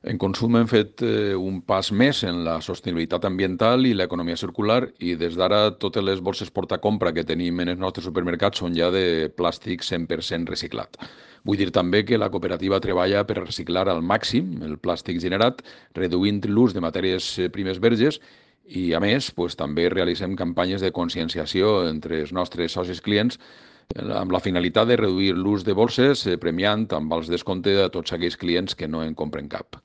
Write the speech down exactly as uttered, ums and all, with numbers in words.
En Consum hem fet eh, un pas més en la sostenibilitat ambiental i l'economia circular i des d'ara totes les bosses portacompra que tenim en els nostres supermercats són ja de plàstic cent per cent reciclat. Vull dir també que la cooperativa treballa per reciclar al màxim el plàstic generat, reduint l'ús de matèries eh, primes verges i, a més, pues, també realitzem campanyes de conscienciació entre els nostres socis clients eh, amb la finalitat de reduir l'ús de bosses, eh, premiant amb els descompte a tots aquells clients que no en compren cap.